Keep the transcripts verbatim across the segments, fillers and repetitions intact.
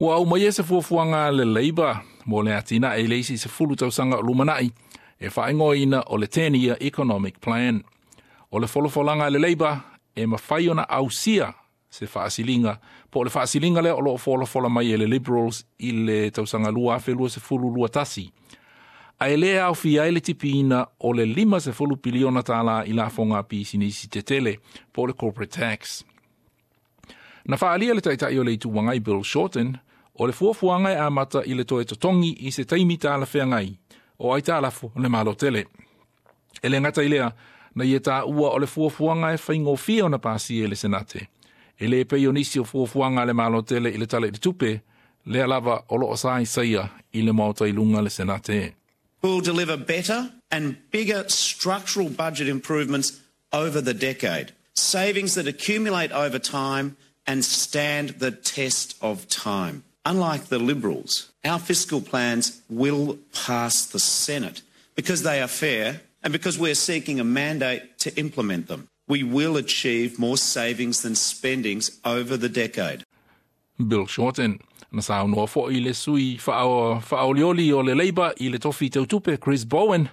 Ua aumaia se fuafuaga a le Labour mo le atinae i le isi sefulu tausaga o lumanai e faaigoaina o le ten year economic plan. O le folafolaga a le Labour e mafai ona ausia se faasiliga po o le faasiliga lea o loo folafola mai e le Liberals i le tausaga lua afe lua sefulu lua tasi. Ae le aofia ai le tipiina o le lima sefulu piliona tālā i lafoga a pisinisi tetele po o le corporate tax. Na faaalia le taitai o le Itu Agai Bill Shorten o le fuafuaga e amata i le toe totogi i se taimi talafeagai o aitalafu o le Malo tele. E le gata i lea, na ia taua o le fuafuaga e faigofie ona pasia e le Senate. E le pei o nisi o fuafuaga a le Malo tele i le Tala i le Tupe, lea lava o loo saisaia i le Maota i luga le Senate. We'll deliver better and bigger structural budget improvements over the decade. Savings that accumulate over time and stand the test of time. Unlike the Liberals, our fiscal plans will pass the Senate because they are fair and because we're seeking a mandate to implement them. We will achieve more savings than spendings over the decade. Bill Shorten. Na saunoa foi le sui faaolioli o le Labour i le tofi tautupe Chris Bowen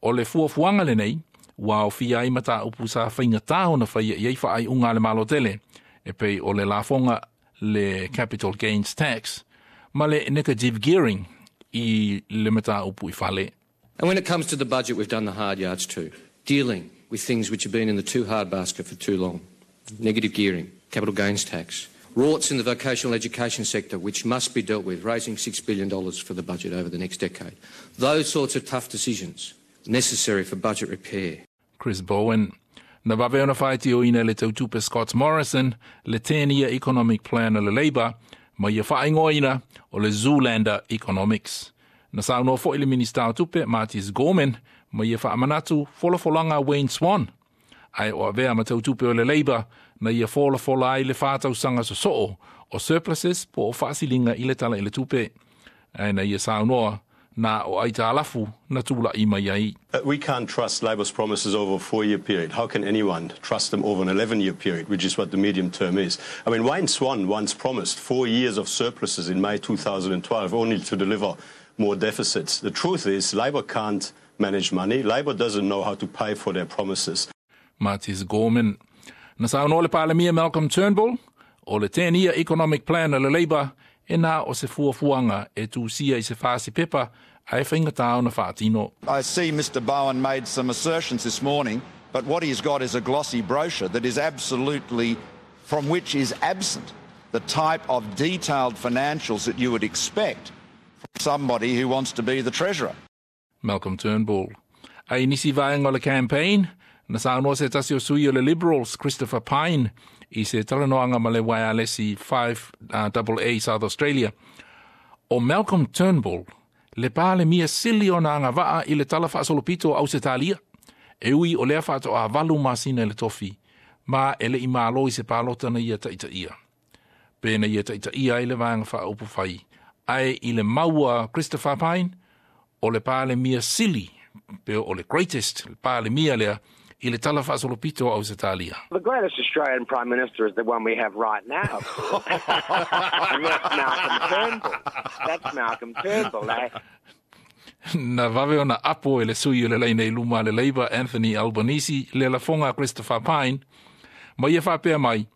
o le fuafuaga lenei ua aofia ai mataupu sa faigata ona faia i ai faaiuga a le Malo tele e pei o le lafoga le capital gains tax ma le negative gearing i le mataupu i fale. And when it comes to the budget, we've done the hard yards too, dealing with things which have been in the too hard basket for too long. Negative gearing, capital gains tax, rorts in the vocational education sector, which must be dealt with, raising six billion dollars for the budget over the next decade. Those sorts of tough decisions necessary for budget repair. Chris Bowen. Na vave ona faitioina le tautupe Scott Morrison le ten-year economic plan a le Labour ma ia faaigoaina o le Zoolander Economics. Na saunoa foi le Minista o Tupe Mathias Gorman ma ia faamanatu folafolaga Wayne Swan. Ae o avea ma tautupe o le Labour na ia folafola ai le whātausaga sosoo o surpluses po o faasiliga i le Tala i le Tupe. Ae na ia saunoa na o aitalafu na tula'i mai ai. Uh, we can't trust Labour's promises over a four-year period. How can anyone trust them over an eleven-year period, which is what the medium term is? I mean, Wayne Swan once promised four years of surpluses in May two thousand twelve, only to deliver more deficits. The truth is, Labour can't manage money. Labour doesn't know how to pay for their promises. Mathias Gorman. Na saunoa le Palemia Malcolm Turnbull o le ten-year economic plan a le Labour e na o se fuafuaga e tusia i se fasi pepa ae faigata ona faatino. I see Mister Bowen made some assertions this morning, but what he's got is a glossy brochure that is absolutely, from which is absent the type of detailed financials that you would expect from somebody who wants to be the Treasurer. Malcolm Turnbull. Ai nisi vaega o le campaign, na saunoa se tasi o sui o le Liberals, Christopher Pyne, i se talanoaga ma le wireless five double A South Australia. O Malcolm Turnbull, le palemia sili ona agavaa i le tala faasolopito o Ausetalia. E ui o lea faatoa valu masina i le tofi, ma e le i malo i se palota na ia taitaia. Pe na ia taitaia ai le vaega faaupufai. Ae i le maua Christopher Pyne, o le palemia sili, pe o le greatest, le palemia lea, i le tala faasolopito o Ausetalia. The greatest Australian Prime Minister is the one we have right now. And that's Malcolm Turnbull. That's Malcolm Turnbull, eh? Na vave ona apo e le sui o le laina i luma le Labour Anthony Albanese le lafoga Christopher Pyne. Ma ia faapea mai,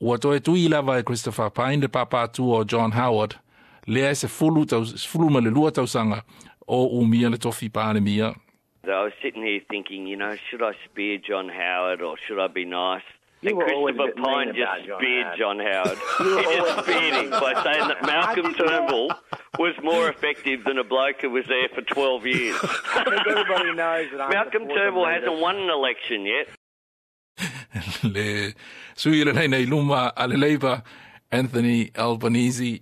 ua toe tui lava e Christopher Pyne le papātua o John Howard, lea e sefulu tau, sefulu ma le lua tausaga o umia le tofi palemia. I was sitting here thinking, you know, should I spear John Howard or should I be nice? You And were always a Christopher bit mean Pyne just about John speared Howard. John Howard. You were He just always speared him by saying that Malcolm I didn't know. Turnbull was more effective than a bloke who was there for twelve years. I think everybody knows that I'm Malcolm the fourth Turnbull amendment. hasn't won an election yet. Le sui le laina i luma a le Labour, Anthony Albanese.